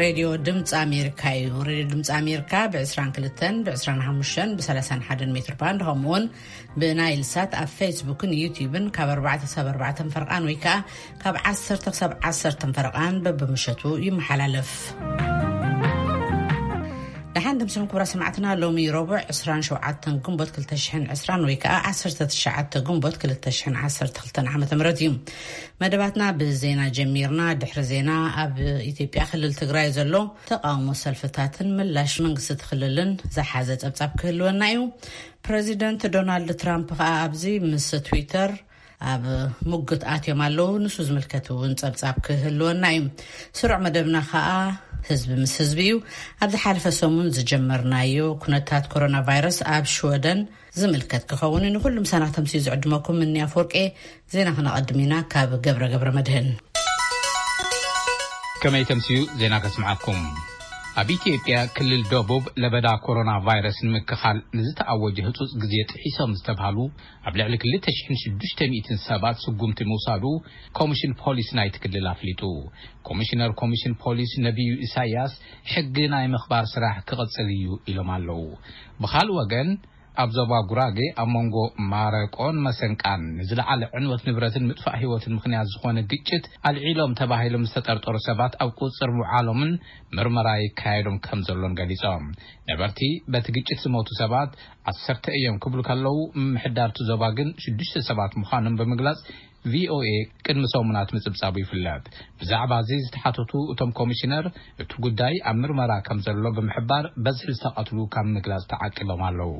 ሬድዮ ድምፂ ኣሜሪካ እዩ። ሬድዮ ድምፂ ኣሜሪካ ብ22፣ ብ25፣ ብ31 ሜትር ባንድ፣ ከምኡውን ብናይል ሳት ኣብ ፌስቡክን ዩቲዩብን ካብ ኣርባዕተ ክሳብ ኣርባዕተ ፈርቓን ወይ ከዓ ካብ ዓሰርተ ክሳብ ዓሰርተ ፈርቓን በብምሸቱ ይመሓላለፍ። ደሓን ድምስኹም ክቡራ ሰማዕትና። ሎሚ ረቡዕ ዕስራን ሸውዓተን ግንቦት ክልተ ሽሕን ዕስራን ወይ ከዓ ዓሰርተ ትሽዓተ ግንቦት ክልተ ሽሕን ዓሰርተ ክልተን ዓመተ ምህረት እዩ። መደባትና ብዜና ጀሚርና። ድሕሪ ዜና፣ ኣብ ኢትዮጵያ ክልል ትግራይ ዘሎ ተቃውሞ ሰልፍታትን ምላሽ መንግስቲ እቲ ክልልን ዝሓዘ ጸብጻብ ክህልወና እዩ። ፕረዚደንት ዶናልድ ትራምፕ ከኣ ኣብዚ ምስ ትዊተር ኣብ ሙግት ኣትዮም ኣለዉ። ንሱ ዝምልከት እውን ጸብጻብ ክህልወና እዩ። ስሩዕ መደብና ከኣ ህዝቢ ምስ ህዝቢ እዩ። ኣብ ዝሓለፈ ሰሙን ዝጀመርናዮ ኩነታት ኮሮና ቫይረስ ኣብ ሽወደን ዝምልከት ክኸውን እዩ። ንኹሉ ምሳና ክተምስዩ ዝዕድመኩም እኒ ኣፈወርቄ። ዜና ክነቐድም ኢና ካብ ገብረ ገብረ መድህን። ከመይ ተምስዩ ዜና ከስምዓኩም። ኣብ ኢትዮጵያ ክልል ደቡብ ለበዳ ኮሮና ቫይረስ ንምክኻል ንዝተኣወጀ ህጹጽ ግዜ ጥሒሶም ዝተባህሉ ኣብ ልዕሊ ክልተ ሽሕን ሽዱሽተ ሚእትን ሰባት ስጉምቲ ምውሳዱ ኮሚሽን ፖሊስ ናይቲ ክልል ኣፍሊጡ። ኮሚሽነር ኮሚሽን ፖሊስ ነቢዩ ኢሳያስ ሕጊ ናይ ምኽባር ስራሕ ክቕጽል እዩ ኢሎም ኣለዉ። ብኻልእ ወገን ኣብ ዞባ ጉራጌ ኣብ መንጎ ማረቆን መሰንቃን ንዝለዓለ ዕንወት ንብረትን ምጥፋእ ህይወትን ምኽንያት ዝኾነ ግጭት ኣልዒሎም ተባሂሎም ዝተጠርጠሩ ሰባት ኣብ ቁጽር ምውዓሎምን ምርመራ ይካየዶም ከም ዘሎን ገሊጾም። ነበርቲ በቲ ግጭት ዝሞቱ ሰባት ዓሰርተ እዮም ክብሉ ከለዉ፣ ምምሕዳርቲ ዞባ ግን ሽዱሽተ ሰባት ምዃኖም ብምግላጽ፣ ቪኦኤ ቅድሚ ሰሙናት ምጽብጻቡ ይፍለጥ። ብዛዕባ እዚ ዝተሓተቱ እቶም ኮሚሽነር፣ እቲ ጉዳይ ኣብ ምርመራ ከም ዘሎ ብምሕባር፣ በዝሒ ዝተቐትሉ ካብ ምግላጽ ተዓቂቦም ኣለዉ።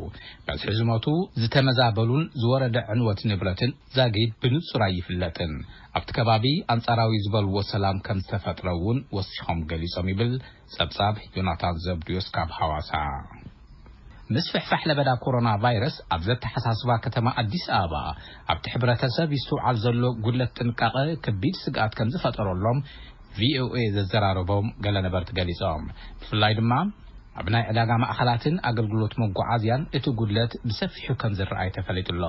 በዝሒ ዝሞቱ፣ ዝተመዛበሉን ዝወረደ ዕንወት ንብረትን ዛጊድ ብንጹር ኣይፍለጥን። ኣብቲ ከባቢ ኣንጻራዊ ዝበልዎ ሰላም ከም ዝተፈጥረ እውን ወሲኾም ገሊጾም ይብል ጸብጻብ ዮናታን ዘብድዮስ ካብ ሃዋሳ። ምስፍሕፋሕ ለበዳ ኮሮና ቫይረስ ኣብ ዘተሓሳስባ ከተማ ኣዲስ ኣበባ ኣብቲ ሕብረተሰብ ይስተውዓል ዘሎ ጉድለት ጥንቃቐ ከቢድ ስግኣት ከም ዝፈጠረሎም ቪኦኤ ዘዘራረቦም ገለ ነበርቲ ገሊጾም። ብፍላይ ድማ ኣብ ናይ ዕዳጋ ማእኸላትን ኣገልግሎት መጓዓዝያን እቲ ጉድለት ብሰፊሑ ከም ዝረኣይ ተፈሊጡ ኣሎ።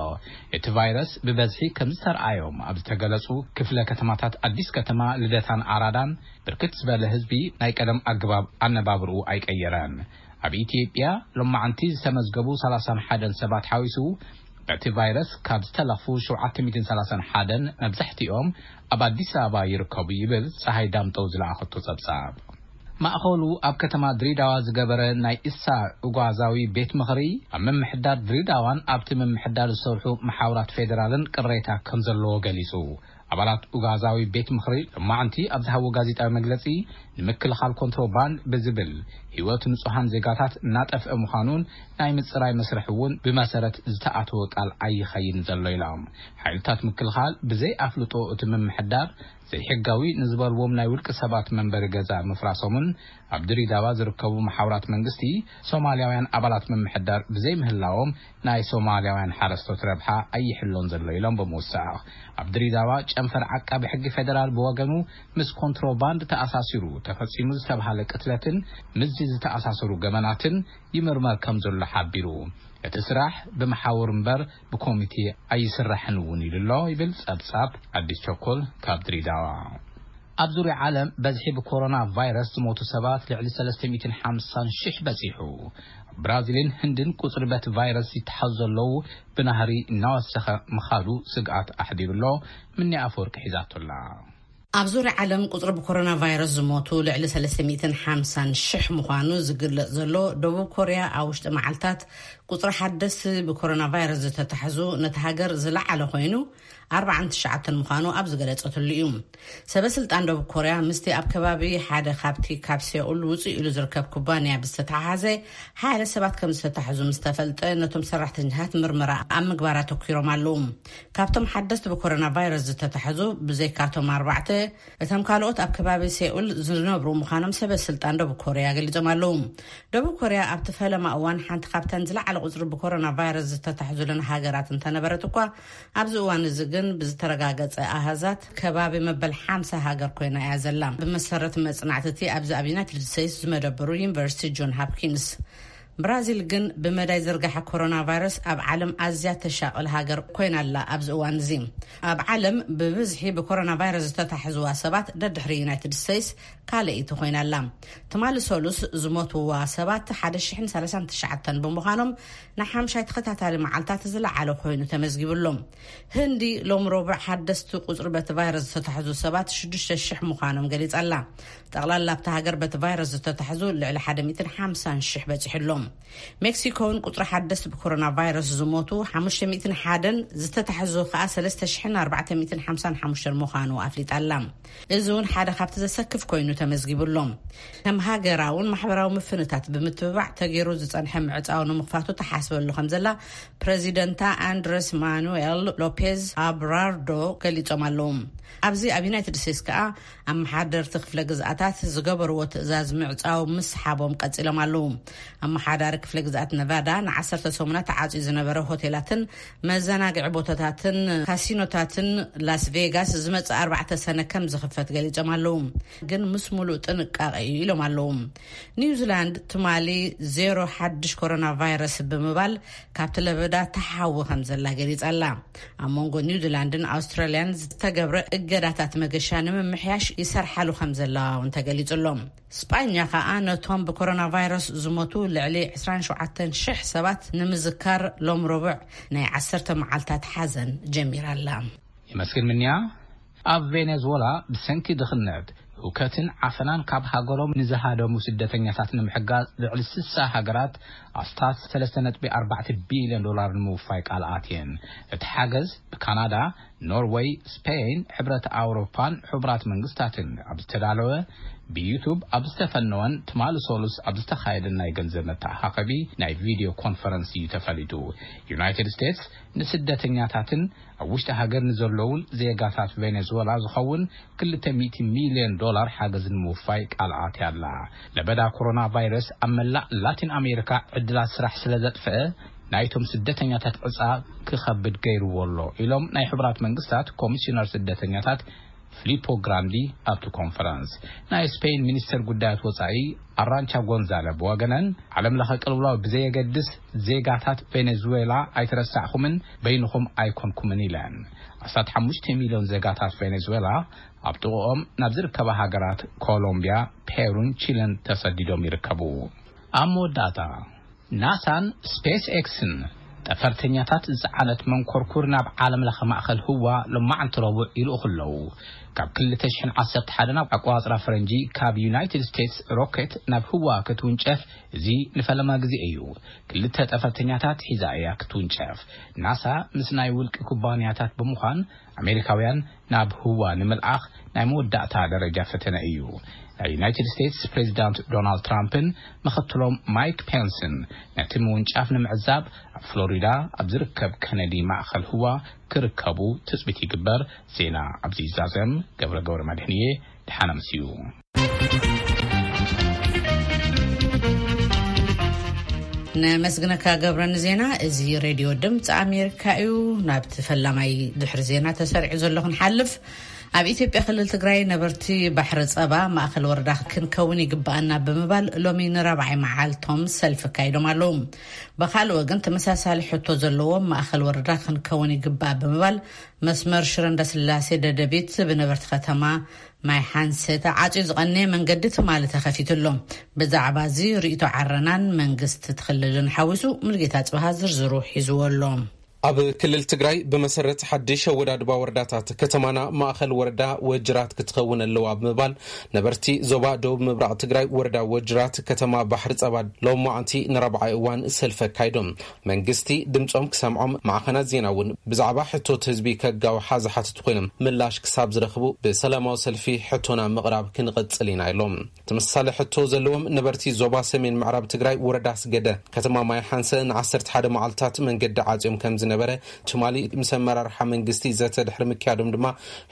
እቲ ቫይረስ ብበዝሒ ከም ዝተረኣዮም ኣብ ዝተገለጹ ክፍለ ከተማታት ኣዲስ ከተማ፣ ልደታን ኣራዳን ብርክት ዝበለ ህዝቢ ናይ ቀደም ኣገባብ ኣነባብርኡ ኣይቀየረን። ኣብ ኢትዮጵያ ሎማዓንቲ ዝተመዝገቡ ሰላሳን ሓደን ሰባት ሓዊሱ፣ በቲ ቫይረስ ካብ ዝተለኽፉ ሸውዓተ ሚእትን ሰላሳን ሓደን መብዛሕትኦም ኣብ ኣዲስ ኣበባ ይርከቡ ይብል ፀሃይ ዳምጠው ዝለኣኸቶ ጸብጻብ። ማእኸሉ ኣብ ከተማ ድሬዳዋ ዝገበረ ናይ እሳ እጓዛዊ ቤት ምኽሪ፣ ኣብ ምምሕዳር ድሬዳዋን ኣብቲ ምምሕዳር ዝሰርሑ መሓውራት ፌደራልን ቅሬታ ከም ዘለዎ ገሊጹ። ኣባላት ኡጋዛዊ ቤት ምኽሪ ሎማዕንቲ ኣብ ዝሃቦ ጋዜጣዊ መግለጺ፣ ንምክልኻል ኮንትሮባንድ ብዝብል ህይወት ንጹሃን ዜጋታት እናጠፍአ ምዃኑን ናይ ምጽራይ መስርሕ እውን ብመሰረት ዝተኣተወ ቃል ኣይኸይድን ዘሎ ኢሎም። ሓይልታት ምክልኻል ብዘይ ኣፍልጦ እቲ ምምሕዳር ዘይሕጋዊ ንዝበልዎም ናይ ውልቂ ሰባት መንበሪ ገዛ ምፍራሶምን ኣብ ድሬዳዋ ዝርከቡ መሓውራት መንግስቲ ሶማልያውያን ኣባላት ምምሕዳር ብዘይምህላዎም ናይ ሶማልያውያን ሓረስቶት ረብሓ ኣይሕሎን ዘሎ ኢሎም ብምውሳኽ፣ ኣብ ድሬዳዋ ጨንፈር ዓቃቢ ሕጊ ፌደራል ብወገኑ ምስ ኮንትሮባንድ ተኣሳሲሩ ተፈጺሙ ዝተባሃለ ቅትለትን ምስዚ ዝተኣሳሰሩ ገበናትን ይምርመር ከም ዘሎ ሓቢሩ። እቲ ስራሕ ብመሓውር እምበር ብኮሚቴ ኣይስራሕን እውን ኢሉ ኣሎ ይብል ጸብጻብ ኣዲስ ቸኮል ካብ ድሬዳዋ። ኣብ ዙርያ ዓለም በዝሒ ብኮሮና ቫይረስ ዝሞቱ ሰባት ልዕሊ ሰለስተ ሚእትን ሓምሳን ሽሕ በጺሑ። ብራዚልን ህንድን ቁጽሪ በቲ ቫይረስ ይተሓዙ ዘለዉ ብናህሪ እናወሰኸ ምኻዱ ስግኣት ኣሕዲሩ ኣሎ። ምኒ ኣፈወርቂ ሒዛቶ ኣላ። ኣብ ዙርያ ዓለም ቁጽሪ ብኮሮና ቫይረስ ዝሞቱ ልዕሊ ሰለስተ ሚእትን ሓምሳን ሽሕ ምዃኑ ዝግለጽ ዘሎ ደቡብ ኮርያ፣ ኣብ ውሽጢ መዓልታት ቁጽሪ ሓደስቲ ብኮሮና ቫይረስ ዝተታሕዙ ነቲ ሃገር ዝለዓለ ኮይኑ ኣርባዓን ትሽዓተን ምዃኑ ኣብ ዝገለጸትሉ እዩ። ሰበ ስልጣን ደቡብ ኮርያ ምስቲ ኣብ ከባቢ ሓደ ካብቲ ካብ ሴኡል ውጽእ ኢሉ ዝርከብ ኩባንያ ብዝተተሓሓዘ ሓደ ሰባት ከም ዝተታሕዙ ምስ ተፈልጠ፣ ነቶም ሰራሕተኛታት ምርመራ ኣብ ምግባር ኣተኲሮም ኣለዉ። ካብቶም ሓደስቲ ብኮሮና ቫይረስ ዝተታሕዙ ብዘይካቶም ኣርባዕተ፣ እቶም ካልኦት ኣብ ከባቢ ሴኡል ዝነብሩ ምዃኖም ሰበ ስልጣን ደቡብ ኮርያ ገሊጾም ኣለዉ። ደቡብ ኮርያ ኣብቲ ፈለማ እዋን ሓንቲ ካብተን ዝለዓለ ቁጽሪ ብኮሮና ቫይረስ ዝተታሕዙለን ሃገራት እንተነበረት እኳ፣ ኣብዚ እዋን እዚ ግን ብዝተረጋገጸ ኣሃዛት ከባቢ መበል ሓምሳ ሃገር ኮይና እያ ዘላ። ብመሰረት መጽናዕቲ እቲ ኣብዚ ኣብ ዩናይትድ ስቴትስ ዝመደበሩ ዩኒቨርሲቲ ጆን ሃፕኪንስ ብራዚል ግን ብመዳይ ዝርጋሐ ኮሮና ቫይረስ ኣብ ዓለም ኣዝያ ተሻቕል ሃገር ኮይና ኣላ። ኣብዚ እዋን እዚ ኣብ ዓለም ብብዝሒ ብኮሮና ቫይረስ ዝተታሕዝዋ ሰባት ደድሕሪ ዩናይትድ ስቴትስ ካልኣይቲ ኮይና ኣላ። ትማሊ ሰሉስ ዝሞትዋ ሰባት ሓደ ሽሕን ሰላሳን ትሽዓተን ብምዃኖም፣ ንሓምሻይ ተኸታታሊ መዓልታት ዝለዓለ ኮይኑ ተመዝጊቡሎም። ህንዲ ሎም ረቡዕ ሓደስቲ ቁጽሪ በቲ ቫይረስ ዝተታሕዙ ሰባት ሽዱሽተ ሽሕ ምዃኖም ገሊጻ ኣላ። ጠቕላላ ኣብታ ሃገር በቲ ቫይረስ ዝተታሕዙ ልዕሊ ሓደ ሚእትን ሓምሳን ሽሕ በጺሑ ኣሎ። ሜክሲኮ እውን ቁጽሪ ሓደስቲ ብኮሮና ቫይረስ ዝሞቱ ሓሙሽተ ሚእትን ሓደን ዝተታሕዙ ከኣ ሰለስተ ሽሕን ኣርባዕተ ሚእትን ሓምሳን ሓሙሽተን ምዃኑ ኣፍሊጣ ኣላ። እዚ እውን ሓደ ካብቲ ዘሰክፍ ኮይኑ ተመዝጊቡ ኣሎ። ከም ሃገራውን ማሕበራዊ ምፍንታት ብምትብባዕ ተገይሩ ዝጸንሐ ምዕጻው ንምኽፋቱ ተሓስበሉ ከም ዘላ ፕረዚደንታ ኣንድረስ ማኑኤል ሎፔዝ ኣብራርዶ ገሊጾም ኣለዉ። ኣብዚ ኣብ ዩናይትድ ስቴትስ ከኣ ኣመሓደርቲ ክፍለ ግዝኣታት ዝገበርዎ ትእዛዝ ምዕጻው ምስሓቦም ቀጺሎም ኣለዉ። ኣመሓዳሪ ክፍለ ግዝኣት ነቫዳ ንዓሰርተ ሰሙናት ተዓጽዩ ዝነበረ ሆቴላትን መዘናግዒ ቦታታትን ካሲኖታትን ላስ ቬጋስ ዝመጽእ ኣርባዕተ ሰነ ከም ዝኽፈት ገሊጾም ኣለዉ። ግን ምስ ሙሉእ ጥንቃቐ እዩ ኢሎም ኣለዉ። ኒውዚላንድ ትማሊ ዜሮ ሓድሽ ኮሮና ቫይረስ ብምባል ካብቲ ለበዳ ተሓዊ ከም ዘላ ገሊጻ ኣላ። ኣብ መንጎ ኒውዚላንድን ኣውስትራልያን ዝተገብረ እገዳታት መገሻ ንምምሕያሽ ይሰርሓሉ ከም ዘለዋ እውን ተገሊጹ ኣሎ። ስጳኛ ከኣ ነቶም ብኮሮና ቫይረስ ዝሞቱ ልዕሊ ዕስራን ሸውዓተን ሽሕ ሰባት ንምዝካር ሎም ረቡዕ ናይ ዓሰርተ መዓልታት ሓዘን ጀሚራ ኣላ። የመስግን ምንያ። ኣብ ቬኔዙዌላ ብሰንኪ ድኽነት፣ ህውከትን ዓፈናን ካብ ሃገሮም ንዝሃደሙ ስደተኛታት ንምሕጋዝ ልዕሊ ስሳ ሃገራት ኣስታት ሰለስተ ነጥቢ ኣርባዕተ ቢልዮን ዶላር ንምውፋይ ቃል ኣትየን። እቲ ሓገዝ ብካናዳ፣ ኖርወይ፣ ስፔን፣ ሕብረት ኣውሮፓን ሕቡራት መንግስታትን ኣብ ዝተዳለወ፣ ብዩቱብ ኣብ ዝተፈነወን ትማሊ ሰሉስ ኣብ ዝተኻየደን ናይ ገንዘብ መተኣኻኸቢ ናይ ቪድዮ ኮንፈረንስ እዩ ተፈሊጡ። ዩናይትድ ስቴትስ ንስደተኛታትን ኣብ ውሽጢ ሃገር ንዘለዉን ዜጋታት ቬኔዙዌላ ዝኸውን ክልተ ሚእቲ ሚልዮን ዶላር ሓገዝ ንምውፋይ ቃል ኣትያ ኣላ። ለበዳ ኮሮና ቫይረስ ኣብ መላእ ላቲን ኣሜሪካ ዕድላት ስራሕ ስለ ዘጥፍአ፣ ናይቶም ስደተኛታት ዕጻ ክኸብድ ገይርዎ ኣሎ ኢሎም ናይ ሕቡራት መንግስታት ኮሚሽነር ስደተኛታት ፊሊፖ ግራንዲ ኣብቲ ኮንፈረንስ። ናይ ስፔን ሚኒስተር ጉዳያት ወጻኢ ኣራንቻ ጎንዛለ ብወገነን፣ ዓለም ለኸ ቅልውላው ብዘየገድስ ዜጋታት ቬኔዙዌላ ኣይተረሳዕኹምን፣ በይንኹም ኣይኮንኩምን ኢለን። ኣስታት ሓሙሽተ ሚልዮን ዜጋታት ቬኔዙዌላ ኣብ ጥቕኦም ናብ ዝርከባ ሃገራት ኮሎምቢያ፣ ፔሩን ቺለን ተሰዲዶም ይርከቡ። ኣብ መወዳእታ፣ ናሳን ስፔስ ኤክስን ጠፈርተኛታት ዝጸዓነት መንኮርኩር ናብ ዓለም ለኸ ማእከል ህዋ ሎማዓንቲ ረቡዕ ይልእኹ ኣለዉ። ካብ ክልተ ሽሕን ዓሰርተ ሓደን ኣብ ኣቆጻጽራ ፈረንጂ ካብ ዩናይትድ ስቴትስ ሮኬት ናብ ህዋ ክትውንጨፍ እዚ ንፈለማ ግዜ እዩ። ክልተ ጠፈርተኛታት ሒዛ እያ ክትውንጨፍ። ናሳ ምስ ናይ ውልቂ ኩባንያታት ብምዃን ኣሜሪካውያን ናብ ህዋ ንምልኣኽ ናይ መወዳእታ ደረጃ ፈተነ እዩ። ናይ ዩናይትድ ስቴትስ ፕሬዚዳንት ዶናልድ ትራምፕን ምኽትሎም ማይክ ፔንስን ነቲ ምውንጫፍ ንምዕዛብ ኣብ ፍሎሪዳ ኣብ ዝርከብ ከነዲ ማእኸል ህዋ ክርከቡ ትጽቢት ይግበር። ዜና ኣብዚ ይዛዘም። ገብረ ገብረ መድህንየ፣ ደሓነ ምስዩ። ነመስግነካ ገብረ ንዜና። እዚ ሬድዮ ድምፂ ኣሜሪካ እዩ። ናብቲ ፈላማይ ድሕሪ ዜና ተሰሪዑ ዘሎ ክንሓልፍ። ኣብ ኢትዮጵያ ክልል ትግራይ ነበርቲ ባሕሪ ጸባ ማእኸል ወረዳ ክንከውን ይግባኣና ብምባል ሎሚ ንራብዓይ መዓልቶም ሰልፊ ኣካይዶም ኣለዉ። ብኻልእ ወገን ተመሳሳሊ ሕቶ ዘለዎም ማእኸል ወረዳ ክንከውን ይግባእ ብምባል መስመር ሽረ እንዳስላሴ ደደቢት ብነበርቲ ከተማ ማይ ሓንሰ ተዓፅዩ ዝቐነየ መንገዲ ትማሊ ተኸፊቱ ኣሎ። ብዛዕባ እዚ ርእይቶ ዓረናን መንግስቲ ትኽልልን ሓዊሱ ሙልጌታ ጽብሃ ዝርዝሩ ሒዝዎ ኣሎ። ኣብ ክልል ትግራይ ብመሰረት ሓድሽ ኣወዳድባ ወረዳታት ከተማና ማእኸል ወረዳ ወጅራት ክትኸውን ኣለዋ ብምባል ነበርቲ ዞባ ደቡብ ምብራቕ ትግራይ ወረዳ ወጅራት ከተማ ባሕሪ ጸባ ሎማዓንቲ ንራብዓይ እዋን ሰልፊ ኣካይዶም። መንግስቲ ድምጾም ክሰምዖም ማዕኸናት ዜና እውን ብዛዕባ ሕቶት ህዝቢ ከጋውሓ ዝሓትቱ ኮይኖም ምላሽ ክሳብ ዝረኽቡ ብሰላማዊ ሰልፊ ሕቶና ምቕራብ ክንቕጽል ኢና ኢሎም። ተመሳሳሊ ሕቶ ዘለዎም ነበርቲ ዞባ ሰሜን ምዕራብ ትግራይ ወረዳ ኣስገደ ከተማ ማይ ሓንሰ ንዓሰርተ ሓደ መዓልታት መንገዲ ዓጽዮም ከም ዝነበሩ ነበረ። ትማሊ ምስ ኣመራርሓ መንግስቲ ዘተ ድሕሪ ምክያዶም ድማ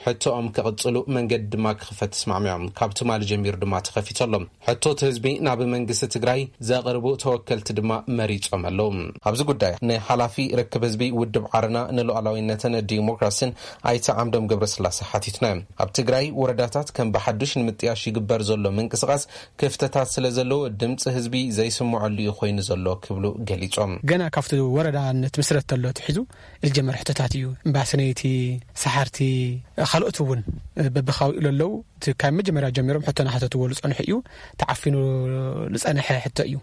ሕቶኦም ክቕጽሉ መንገዲ ድማ ክኽፈት ተስማዕሚዖም። ካብ ትማሊ ጀሚሩ ድማ ተኸፊቱ ኣሎ። ሕቶ እቲ ህዝቢ ናብ መንግስቲ ትግራይ ዘቕርቡ ተወከልቲ ድማ መሪጾም ኣለዉ። ኣብዚ ጉዳይ ንሓላፊ ርክብ ህዝቢ ውድብ ዓረና ንሉዓላዊነትን ዲሞክራሲን ኣይተ ዓምዶም ገብረስላሴ ሓቲትና። ኣብ ትግራይ ወረዳታት ከም ብሓዱሽ ንምጥያሽ ይግበር ዘሎ ምንቅስቓስ ክፍተታት ስለ ዘለዎ ድምፂ ህዝቢ ዘይስምዐሉ እዩ ኮይኑ ዘሎ ክብሉ ገሊጾም። ገና ካብቲ ወረዳ እንትምስረት ተሎ ትሒዙ ዝጀመረ ሕቶታት እዩ። እምባሰነይቲ፣ ሰሓርቲ፣ ካልኦት እውን በብኻብኡ ለለዉ እቲ ካብ መጀመርያ ጀሚሮም ሕቶ ናሓተትዎ ዝጸንሑ እዩ። ተዓፊኑ ዝጸንሐ ሕቶ እዩ።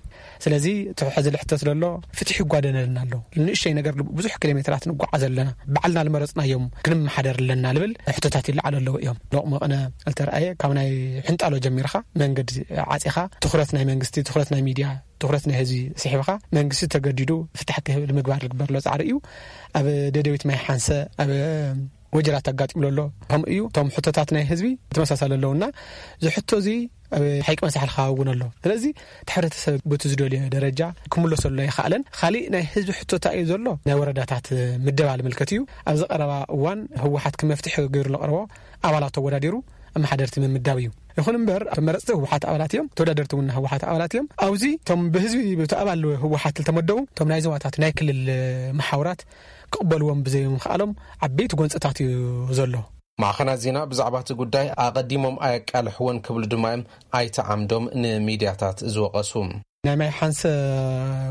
ስለዚ እቲ ሕዚ ዝሕተት ዘሎ ፍትሒ ይጓደለና ኣሎ። ንእሽተይ ነገር ብዙሕ ኪሎ ሜትራት ንጓዓዝ ኣለና። ባዕልና ዝመረጽናዮም ክንመሓደር ኣለና ዝብል ሕቶታት ይለዓሉ ኣለዉ እዮም። ሎቕመቕነ ዝተረኣየ ካብ ናይ ሕንጣሎ ጀሚርካ መንገዲ ዓጺኻ ትኹረት ናይ መንግስቲ፣ ትኹረት ናይ ሚድያ፣ ትኹረት ናይ ህዝቢ ስሒብካ መንግስቲ ተገዲዱ ፍታሕ ክህብ ንምግባር ዝግበር ዘሎ ጻዕሪ እዩ። ኣብ ደደቢት ማይ ሓንሰ ኣብ ወጀራት ኣጋጢሙ ኣሎ። ከምኡ እዩ። እቶም ሕቶታት ናይ ህዝቢ ተመሳሳሊ ኣለውና እዚ ሕቶ እዚ ኣብ ሓይቂ መሳሕል ክኸውን ኣሎ። ስለዚ እቲ ሕብረተሰብ በቲ ዝደልዮ ደረጃ ክምለሰሉ ኣይኸኣለን። ካሊእ ናይ ህዝቢ ሕቶታ እዩ ዘሎ ናይ ወረዳታት ምደባ ልምልከት እዩ። ኣብዚ ቀረባ እዋን ህወሓት ክመፍትሒ ገይሩ ለቕረቦ ኣባላት ተወዳዲሩ ኣመሓደርቲ ምምዳብ እዩ። ይኹን እምበር እቶም መረፅቲ ህወሓት ኣባላት እዮም፣ ተወዳደርቲ እውን ህወሓት ኣባላት እዮም። ኣብዚ እቶም ብህዝቢ ብቲ ኣባል ህወሓት ዝተመደቡ እቶም ናይ ዞባታት ናይ ክልል መሓውራት ክቕበልዎም ብዘይምኽኣሎም ዓበይቲ ጎንፅታት እዩ ዘሎ። ማዕኸናት ዜና ብዛዕባ እቲ ጉዳይ ኣቐዲሞም ኣየቃልሕዎን ክብሉ ድማ እዮም ኣይተ ዓምዶም ንሚድያታት ዝወቐሱ። ናይ ማይ ሓንሰ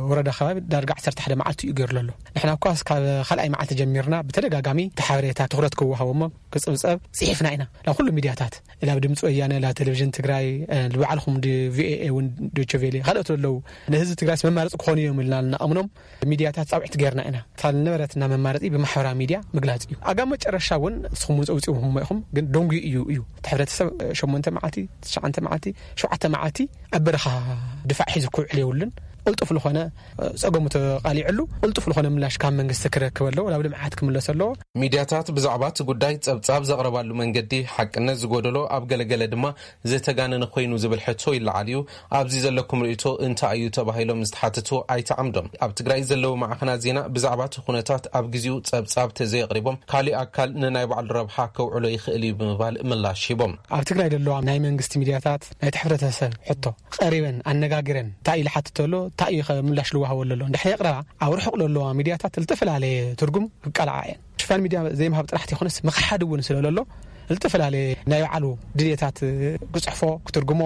ወረዳ ከባቢ ዳርጋ ዓሰርተ ሓደ መዓልቲ እዩ ገይሩ ዘሎ። ንሕና እኳ ካብ ካልኣይ መዓልቲ ጀሚርና ብተደጋጋሚ እቲ ሓበሬታ ትኹረት ክወሃቦሞ ክፅብፀብ ፅሒፍና ኢና ናብ ኩሉ ሚድያታት፣ ናብ ድምፂ ወያነ፣ ናብ ቴሌቪዥን ትግራይ፣ ንባዕልኹም ቪኦኤ እውን፣ ዶቸቬሌ፣ ካልኦት ኣለዉ። ንህዝቢ ትግራይስ መማረፂ ክኾኑ እዮም ኢልና እናኣምኖም ሚድያታት ፃውዒት ገይርና ኢና። እታ ዝነበረትና መማረፂ ብማሕበራዊ ሚድያ ምግላፅ እዩ። ኣጋ መጨረሻ እውን ንስኹም እውን ፀውፂኹም ኢኹም፣ ግን ደንጉዩ እዩ እዩ። እቲ ሕብረተሰብ ሸሞንተ መዓልቲ፣ ትሽዓተ መዓልቲ፣ ሸውዓተ መዓልቲ ኣብ በረኻ ድፋዕ ሒዙ ክውዕል የብሉን። ቅልጡፍ ዝኾነ ጸገሙ ተቓሊዕሉ ቅልጡፍ ዝኾነ ምላሽ ካብ መንግስቲ ክረክብ ኣለዎ። ናብ ልምዓት ክምለስ ኣለዎ። ሚድያታት ብዛዕባ እቲ ጉዳይ ጸብጻብ ዘቕረባሉ መንገዲ ሓቅነት ዝጎደሎ፣ ኣብ ገለገለ ድማ ዝተጋነነ ኮይኑ ዝብል ሕቶ ይለዓል እዩ። ኣብዚ ዘለኩም ርእይቶ እንታይ እዩ ተባሂሎም ዝተሓተቱ ኣይተ ዓምዶም፣ ኣብ ትግራይ ዘለዉ ማዕኸናት ዜና ብዛዕባ እቲ ኩነታት ኣብ ግዜኡ ጸብጻብ ተዘየቕሪቦም ካሊእ ኣካል ንናይ ባዕሉ ረብሓ ከውዕሎ ይኽእል እዩ ብምባል ምላሽ ሂቦም። ኣብ ትግራይ ዘለዋ ናይ መንግስቲ ሚድያታት ናይቲ ሕብረተሰብ ሕቶ ቀሪበን ኣነጋጊረን እንታይ እዩ ዝሓትት ዘሎ፣ እንታይ እዩ ምላሽ ዝወሃበሉ ዘሎ እንድሕር የቕረባ፣ ኣብ ርሑቕ ዘለዋ ሚድያታት ዝተፈላለየ ትርጉም ክቃልዓ እየን። ሽፋን ሚድያ ዘይምሃብ ጥራሕ ተይኮነስ ምኽሓድ እውን ስለ ዘሎ ዝተፈላለየ ናይ ባዕሉ ድልየታት ክፅሕፎ፣ ክትርጉሞ፣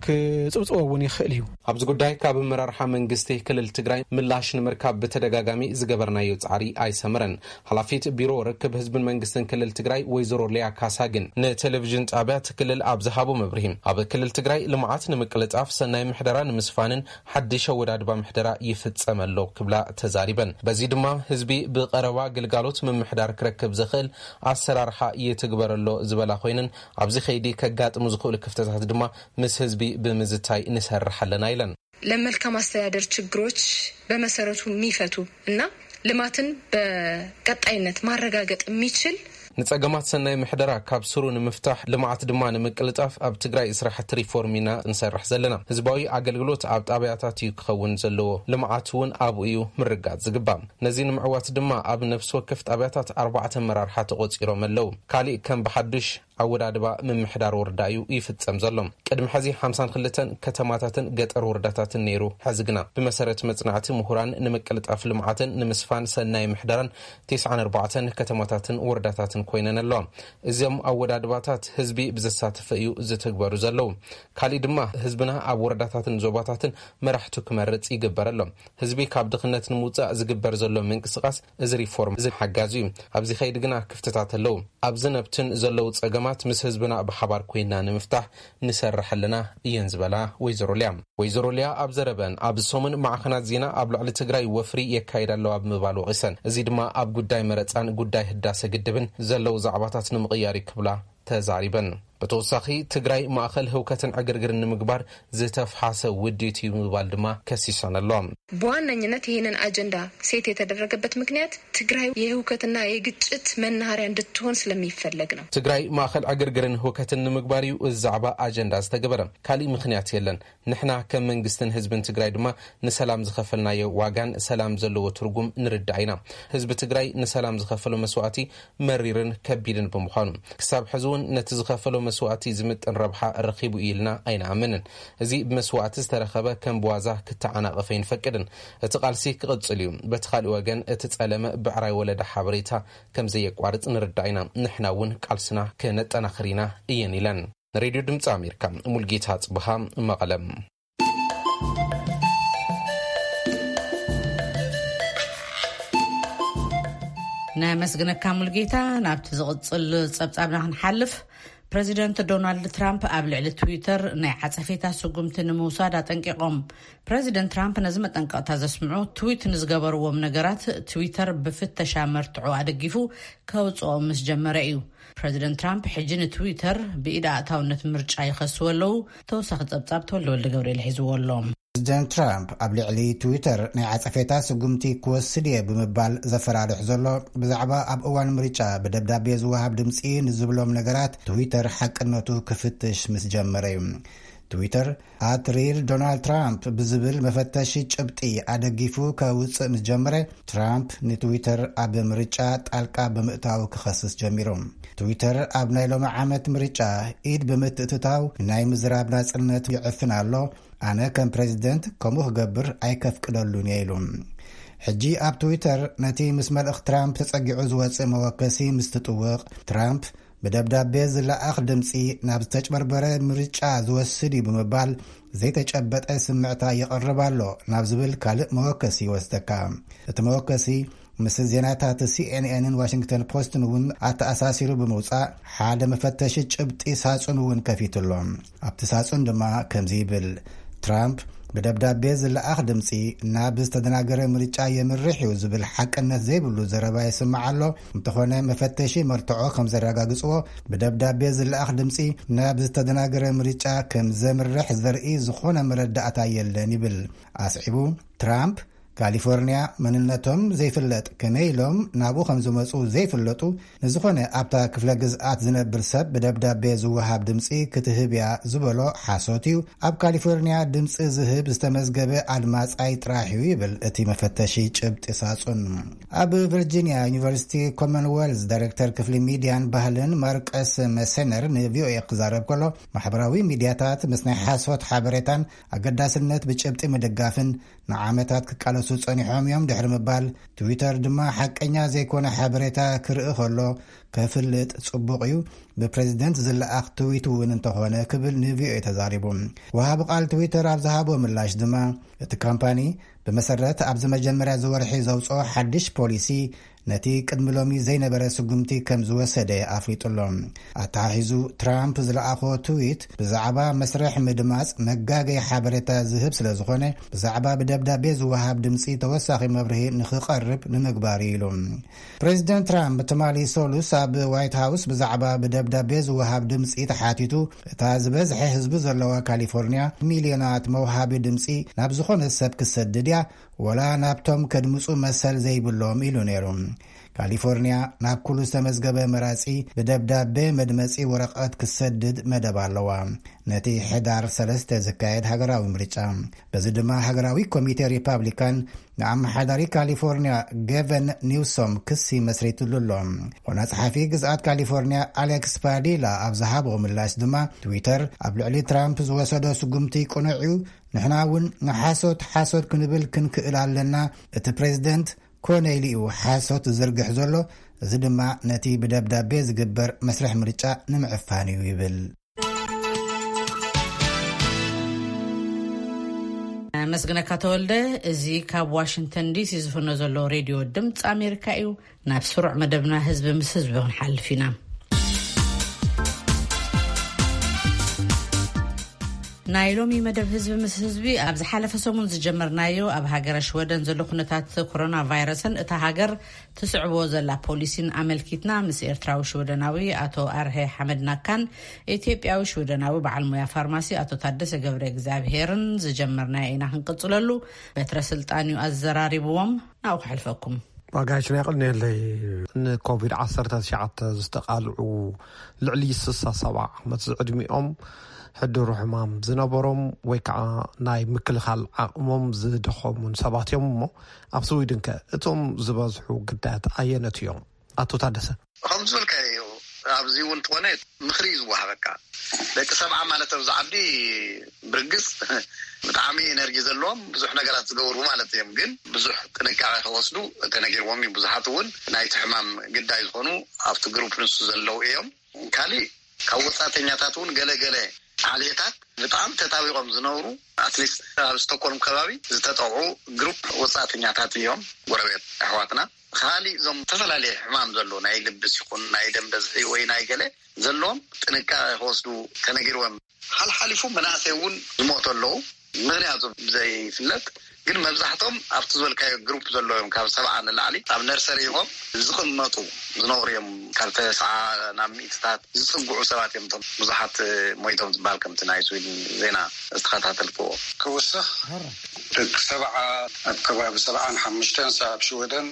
ክፅብፅቦ እውን ይኽእል እዩ። ኣብዚ ጉዳይ ካብ ኣመራርሓ መንግስቲ ክልል ትግራይ ምላሽ ንምርካብ ብተደጋጋሚ ዝገበርናዮ ጻዕሪ ኣይሰመረን። ሓላፊት ቢሮ ርክብ ህዝብን መንግስትን ክልል ትግራይ ወይዘሮ ሊያ ካሳ ግን ንቴሌቪዥን ጣብያ እቲ ክልል ኣብ ዝሃቦ መብርሂ፣ ኣብ ክልል ትግራይ ልምዓት ንምቅልጣፍ፣ ሰናይ ምሕደራ ንምስፋንን ሓድሽ ኣወዳድባ ምሕደራ ይፍጸም ኣሎ ክብላ ተዛሪበን። በዚ ድማ ህዝቢ ብቐረባ ግልጋሎት ምምሕዳር ክረክብ ዘኽእል ኣሰራርሓ ይትግበር ኣሎ ዝበላ ኮይነን፣ ኣብዚ ከይዲ ከጋጥሙ ዝኽእሉ ክፍተታት ድማ ምስ ህዝቢ ብምዝታይ ንሰርሕ ኣለና ኢለን። ለመልካም አስተዳደር ችግሮች በመሰረቱ የሚፈቱ እና ልማትን በቀጣይነት ማረጋገጥ የሚችል ንጸገማት ሰናይ ምሕደራ ካብ ስሩ ንምፍታሕ፣ ልምዓት ድማ ንምቅልጣፍ ኣብ ትግራይ ስራሕቲ ሪፎርም ኢና ንሰርሕ ዘለና። ህዝባዊ ኣገልግሎት ኣብ ጣብያታት እዩ ክኸውን ዘለዎ። ልምዓት እውን ኣብኡ እዩ ምርጋጽ ዝግባእ። ነዚ ንምዕዋት ድማ ኣብ ነፍሲ ወከፍ ጣብያታት ኣርባዕተ ኣመራርሓ ተቖጺሮም ኣለዉ። ካሊእ ከም ብሓዱሽ ኣወዳድባ ምምሕዳር ወረዳ እዩ ይፍጸም ዘሎ። ቅድሚ ሕዚ ሓምሳን ክልተን ከተማታትን ገጠር ወረዳታትን ነይሩ። ሕዚ ግና ብመሰረት መጽናዕቲ ምሁራን ንምቅልጣፍ ልምዓትን ንምስፋን ሰናይ ምሕደራን ተስዓን ኣርባዕተን ከተማታትን ወረዳታትን ኮይነን ኣለዋ። እዞም ኣወዳድባታት ህዝቢ ብዘሳተፈ እዩ ዝትግበሩ ዘለዉ። ካሊእ ድማ ህዝብና ኣብ ወረዳታትን ዞባታትን መራሕቱ ክመርጽ ይግበር ኣሎ። ህዝቢ ካብ ድኽነት ንምውጻእ ዝግበር ዘሎ ምንቅስቓስ እዚ ሪፎርም እዚ ሓጋዚ እዩ። ኣብዚ ከይዲ ግና ክፍተታት ኣለዉ። ኣብዝን ኣብትን ዘለዉ ጸገማት ምስ ህዝብና ብሓባር ኮይንና ንምፍታሕ ንሰርሕ ኣለና እየን ዝበላ ወይዘሮ ሊያ። ወይዘሮ ሊያ ኣብ ዘረበን፣ ኣብዚ ሰሙን ማዕኸናት ዜና ኣብ ልዕሊ ትግራይ ወፍሪ የካይዳ ኣለዋ ብምባል ወቒሰን። እዚ ድማ ኣብ ጉዳይ መረጻን ጉዳይ ህዳሰ ግድብን ዘለዉ ዛዕባታት ንምቕያር እዩ ክብላ ተዛሪበን። ብተወሳኺ ትግራይ ማእኸል ህውከትን ዕግርግርን ንምግባር ዝተፍሓሰ ውዲት እዩ ብምባል ድማ ከሲሰን ኣሎ። በዋነኝነት ይህንን አጀንዳ ሴት የተደረገበት ምክንያት ትግራይ የህውከትና የግጭት መናኸሪያ እንድትሆን ስለሚፈለግ ነው። ትግራይ ማእኸል ዕግርግርን ህውከትን ንምግባር እዩ እዚ ዛዕባ አጀንዳ ዝተገበረ። ካሊእ ምክንያት የለን። ንሕና ከም መንግስትን ህዝብን ትግራይ ድማ ንሰላም ዝኸፈልናዮ ዋጋን ሰላም ዘለዎ ትርጉም ንርዳእ ኢና። ህዝቢ ትግራይ ንሰላም ዝኸፈሎ መስዋእቲ መሪርን ከቢድን ብምዃኑ፣ ክሳብ ሕዚ እውን ነቲ ዝኸፈሎ መስዋእቲ ዝምጥን ረብሓ ረኺቡ እዩ ኢልና ኣይንኣምንን። እዚ ብመስዋእቲ ዝተረኸበ ከም ብዋዛ ክተዓናቐፍ ኣይንፈቅድን። እቲ ቃልሲ ክቕጽል እዩ። በቲ ካሊእ ወገን፣ እቲ ጸለመ ብዕራይ ወለደ ሓበሬታ ከም ዘየቋርጽ ንርዳእ ኢና። ንሕና እውን ቃልስና ከነጠናኽር ኢና እየን ኢለን። ንሬድዮ ድምፂ ኣሜሪካ፣ ሙልጌታ ጽብሃ፣ መቐለም። ነመስግነካ ሙልጌታ። ናብቲ ዝቕጽል ጸብጻብና ክንሓልፍ፣ ፕረዚደንት ዶናልድ ትራምፕ ኣብ ልዕሊ ትዊተር ናይ ዓጸፌታ ስጉምቲ ንምውሳድ ኣጠንቂቖም። ፕረዚደንት ትራምፕ ነዚ መጠንቀቕታ ዘስምዑ፣ ትዊት ንዝገበርዎም ነገራት ትዊተር ብፍተሻ መርትዖ ኣደጊፉ ከውጽኦም ምስ ጀመረ እዩ። ፕረዚደንት ትራምፕ ሕጂ ንትዊተር ብኢድ ኣእታውነት ምርጫ ይኸስዎ ኣለዉ። ተወሳኺ ጸብጻብ ተወልደ ወልደ ገብርኤል ሒዝዎ ኣሎ። ፕረዚደንት ትራምፕ ኣብ ልዕሊ ትዊተር ናይ ዓጸፌታ ስጉምቲ ክወስድ እየ ብምባል ዘፈራርሕ ዘሎ፣ ብዛዕባ ኣብ እዋን ምርጫ ብደብዳቤ ዝወሃብ ድምጺ ንዝብሎም ነገራት ትዊተር ሓቅነቱ ክፍትሽ ምስ ጀመረ እዩ። ትዊተር ኣት ሪል ዶናልድ ትራምፕ ብዝብል መፈተሺ ጭብጢ ኣደጊፉ ከውፅእ ምስ ጀመረ፣ ትራምፕ ንትዊተር ኣብ ምርጫ ጣልቃ ብምእታው ክኸስስ ጀሚሩ። ትዊተር ኣብ ናይ ሎሚ ዓመት ምርጫ ኢድ ብምትእትታው ናይ ምዝራብ ናጽነት ይዕፍን ኣሎ፣ ኣነ ከም ፕሬዚደንት ከምኡ ክገብር ኣይከፍቅደሉን እየ ኢሉ። ሕጂ ኣብ ትዊተር ነቲ ምስ መልእኽ ትራምፕ ተጸጊዑ ዝወጽእ መወከሲ ምስ ትጥውቕ፣ ትራምፕ ብደብዳቤ ዝለኣኽ ድምጺ ናብ ዝተጭበርበረ ምርጫ ዝወስድ እዩ ብምባል ዘይተጨበጠ ስምዕታ ይቐርብ ኣሎ ናብ ዝብል ካልእ መወከሲ ይወስደካ። እቲ መወከሲ ምስ ዜናታት ሲኤንኤንን ዋሽንግተን ፖስትን እውን ኣተኣሳሲሩ ብምውጻእ ሓደ መፈተሺ ጭብጢ ሳጹን እውን ከፊቱ ኣሎ። ኣብቲ ሳጹን ድማ ከምዚ ይብል፣ ትራምፕ ብደብዳቤ ዝለኣኽ ድምጺ ናብ ዝተደናገረ ምርጫ የምርሕ እዩ ዝብል ሓቅነት ዘይብሉ ዘረባ ይስማዕ ኣሎ። እንተኾነ መፈተሺ መርትዖ ከም ዘረጋግጽዎ፣ ብደብዳቤ ዝለኣኽ ድምጺ ናብ ዝተደናገረ ምርጫ ከም ዘምርሕ ዘርኢ ዝኾነ መረዳእታ የለን ይብል። ኣስዒቡ፣ ትራምፕ ካሊፎርኒያ መንነቶም ዘይፍለጥ፣ ከመይ ኢሎም ናብኡ ከም ዝመጹ ዘይፍለጡ፣ ንዝኾነ ኣብታ ክፍለ ግዝኣት ዝነብር ሰብ ብደብዳቤ ዝወሃብ ድምጺ ክትህብ እያ ዝበሎ ሓሶት እዩ። ኣብ ካሊፎርኒያ ድምጺ ዝህብ ዝተመዝገበ ኣድማጻይ ጥራሕ እዩ ይብል እቲ መፈተሺ ጭብጢ ሳጹን። ኣብ ቨርጂኒያ ዩኒቨርሲቲ ኮመንዌልዝ ዳይሬክተር ክፍሊ ሚድያን ባህልን ማርቀስ መሰነር ንቪኦኤ ክዛረብ ከሎ፣ ማሕበራዊ ሚድያታት ምስ ናይ ሓሶት ሓበሬታን ኣገዳስነት ብጭብጢ ምድጋፍን ንዓመታት ክቃለሱ ጸኒሖም እዮም ድሕሪ ምባል፣ ትዊተር ድማ ሓቀኛ ዘይኮነ ሓበሬታ ክርኢ ከሎ ከፍልጥ ጽቡቕ እዩ፣ ብፕሬዚደንት ዝለኣኽ ትዊት እውን እንተኾነ ክብል ንቪኦኤ ተዛሪቡ። ወሃቢ ቃል ትዊተር ኣብ ዝሃቦ ምላሽ ድማ፣ እቲ ካምፓኒ ብመሰረት ኣብዚ መጀመርያ ዝወርሒ ዘውፅኦ ሓድሽ ፖሊሲ ነቲ ቅድሚ ሎሚ ዘይነበረ ስጉምቲ ከም ዝወሰደ ኣፍሊጡ ኣሎ። ኣተሓሒዙ፣ ትራምፕ ዝለኣኾ ትዊት ብዛዕባ መስርሕ ምድማፅ መጋገይ ሓበሬታ ዝህብ ስለ ዝኾነ፣ ብዛዕባ ብደብዳቤ ዝወሃብ ድምፂ ተወሳኺ መብርሂ ንኽቐርብ ንምግባር እዩ ኢሉ። ፕሬዚደንት ትራምፕ ትማሊ ሰሉስ ኣብ ዋይት ሃውስ ብዛዕባ ብደብዳቤ ዝወሃብ ድምፂ ተሓቲቱ፣ እታ ዝበዝሐ ህዝቢ ዘለዋ ካሊፎርኒያ ሚልዮናት መውሃቢ ድምፂ ናብ ዝኾነ ሰብ ክሰድድ እያ፣ ወላ ናብቶም ከድምፁ መሰል ዘይብሎም ኢሉ ነይሩ። ካሊፎርኒያ ናብ ኩሉ ዝተመዝገበ መራጺ ብደብዳቤ መድመጺ ወረቐት ክሰድድ መደብ ኣለዋ፣ ነቲ ሕዳር ሰለስተ ዝካየድ ሃገራዊ ምርጫ። በዚ ድማ ሃገራዊ ኮሚቴ ሪፓብሊካን ንኣመሓዳሪ ካሊፎርኒያ ገቨን ኒውሶም ክሲ መስሪትሉ ኣሎ። ዋና ጸሓፊ ግዝኣት ካሊፎርኒያ ኣሌክስ ፓዲላ ኣብ ዝሃቦ ምላሽ ድማ፣ ትዊተር ኣብ ልዕሊ ትራምፕ ዝወሰዶ ስጉምቲ ቅኑዕ እዩ፣ ንሕና እውን ንሓሶት ሓሶት ክንብል ክንክእል ኣለና። እቲ ፕሬዚደንት ኮነ ኢሉ እዩ ሓሶት ዝዝርግሕ ዘሎ፣ እዚ ድማ ነቲ ብደብዳቤ ዝግበር መስርሕ ምርጫ ንምዕፋን እዩ ይብል። መስግነካ ተወልደ። እዚ ካብ ዋሽንግተን ዲሲ ዝፍኖ ዘሎ ሬድዮ ድምፂ ኣሜሪካ እዩ። ናብ ስሩዕ መደብና ህዝቢ ምስ ህዝቢ ክንሓልፍ ኢና። ናይ ሎሚ መደብ ህዝቢ ምስ ህዝቢ፣ ኣብ ዝሓለፈ ሰሙን ዝጀመርናዮ፣ ኣብ ሃገረ ሽወደን ዘሎ ኩነታት ኮሮና ቫይረስን እታ ሃገር ትስዕቦ ዘላ ፖሊሲን ኣመልኪትና፣ ምስ ኤርትራዊ ሽወደናዊ ኣቶ ኣርሀ ሓመድ ናካን ኢትዮጵያዊ ሽወደናዊ በዓል ሞያ ፋርማሲ ኣቶ ታደሰ ገብረ እግዚኣብሄርን ዝጀመርናዮ ኢና ክንቅጽለሉ። በትረ ስልጣን እዩ ኣዘራሪብዎም። ናብኡ ክሕልፈኩም። ዋጋሽ ናይ ቅድሜለይ፣ ንኮቪድ ዓሰርተ ትሽዓተ ዝተቓልዑ ልዕሊ ስሳ ሰብዓ ዓመት ዝዕድሚኦም ሕድሩ ሕማም ዝነበሮም ወይ ከዓ ናይ ምክልኻል ዓቕሞም ዝደኸሙን ሰባት እዮም። እሞ ኣብ ስዊድን ከ እቶም ዝበዝሑ ግዳያት ኣየነት እዮም? ኣቶ ታደሰ። ከም ዝበልካዮ፣ ኣብዚ እውን ትኾነ ምኽሪ እዩ ዝወሃበካ። ደቂ ሰብዓ ማለት ኣብዚ ዓዲ ብርግጽ ብጣዕሚ ኤነርጂ ዘለዎም ብዙሕ ነገራት ዝገብሩ ማለት እዮም። ግን ብዙሕ ጥንቃቄ ክወስዱ ተነጊርዎም እዩ። ብዙሓት እውን ናይቲ ሕማም ግዳይ ዝኾኑ ኣብቲ ግሩፕ ንሱ ዘለዉ እዮም። ካሊእ ካብ ወጻእተኛታት እውን ገለገለ ዓሌታት ብጣዕሚ ተጣቢቖም ዝነብሩ፣ ኣትሊስት ኣብ ስቶኮልም ከባቢ ዝተጠቕዑ ግሩፕ ወጻእተኛታት እዮም፣ ጎረቤት ኣሕዋትና። ካሊእ እዞም ዝተፈላለየ ሕማም ዘለዎ ናይ ልብስ ይኹን ናይ ደም በዝሒ ወይ ናይ ገለ ዘለዎም ጥንቃቄ ክወስዱ ተነጊርዎም። ሓልሓሊፉ መናእሰይ እውን ዝሞቱ ኣለዉ፣ ምኽንያቱ ብዘይፍለጥ። ግን መብዛሕቶም ኣብቲ ዝበልካዮ ግሩፕ ዘለዉ እዮም፣ ካብ ሰብዓ ንላዕሊ ኣብ ነርሰሪ ኢኾም ዝቕመጡ ዝነብሩ እዮም። ካብ ተስዓ ናብ ሚእትታት ዝጽግዑ ሰባት እዮም እቶም ብዙሓት ሞይቶም ዝበሃል፣ ከምቲ ናይ ስዊድን ዜና ዝተኸታተልክዎ። ክውስኽ፣ ደቂ ሰብዓ ኣብ ከባቢ ሰብዓን ሓሙሽተን ኣብ ሽወደን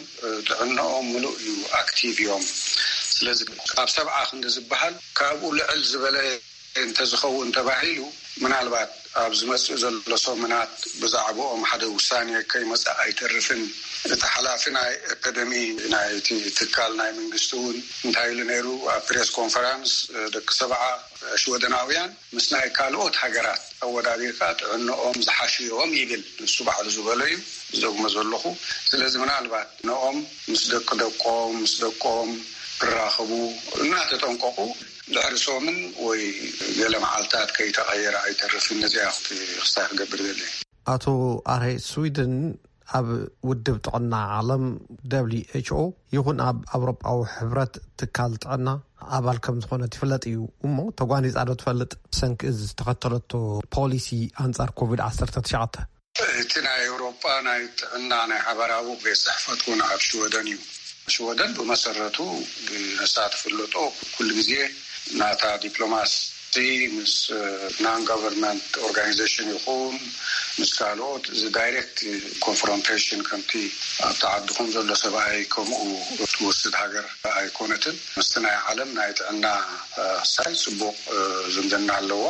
ጥዕናኦም ምሉእ እዩ፣ ኣክቲቭ እዮም። ስለዚ ካብ ሰብዓ ክንዲ ዝበሃል፣ ካብኡ ልዕል ዝበለ እንተዝኸውን ተባሂሉ፣ ምናልባት ኣብ ዝመጽእ ዘሎ ሰሙናት ብዛዕባኦም ሓደ ውሳኔ ከይመጽእ ኣይተርፍን። እቲ ሓላፊ ናይ ኣካደሚ ናይቲ ትካል ናይ መንግስቲ እውን እንታይ ኢሉ ነይሩ ኣብ ፕሬስ ኮንፈራንስ፣ ደቂ ሰብዓ ሽወደናውያን ምስ ናይ ካልኦት ሃገራት ኣወዳዲርካ ጥዕንኦም ዝሓሹ እዮም ይብል፣ ንሱ ባዕሉ ዝበሎ እዩ ዝደግሞ ዘለኹ። ስለዚ ምናልባት ንኦም ምስ ደቂ ደቆም፣ ምስ ደቆም ክራኸቡ እናተጠንቀቑ፣ ድሕሪ ሰሙን ወይ ገለ መዓልታት ከይተቐየረ ኣይተርፍን። ነዚኣ ክስታይ ክገብር ደሊ። ኣቶ ኣርሄ፣ ስዊድን ኣብ ውድብ ጥዕና ዓለም ደብሊው ኤች ኦ ይኹን ኣብ ኣውሮጳዊ ሕብረት ትካል ጥዕና ኣባል ከም ዝኾነት ይፍለጥ እዩ። እሞ ተጓኒጻ ዶ ትፈልጥ? ሰንኪ እዚ ዝተኸተለቶ ፖሊሲ ኣንጻር ኮቪድ ዓሰርተ ትሽዓተ? እቲ ናይ ኤውሮጳ ናይ ጥዕና ናይ ሓበራዊ ቤት ጽሕፈት እውን ኣብ ሽወደን እዩ። ሽወደን ብመሰረቱ፣ ብነሳ ትፍለጦ፣ ኩሉ ግዜ ናታ ዲፕሎማሲ ምስ ናን ጋቨርንመንት ኦርጋናይዜሽን ይኹን ምስ ካልኦት እዚ ዳይሬክት ኮንፍሮንቴሽን ከምቲ ኣብቲ ዓድኹም ዘሎ ሰብኣይ ከምኡ ትወስድ ሃገር ኣይኮነትን። ምስቲ ናይ ዓለም ናይ ጥዕና ሳይ ጽቡቕ ዝምድና ኣለዋ።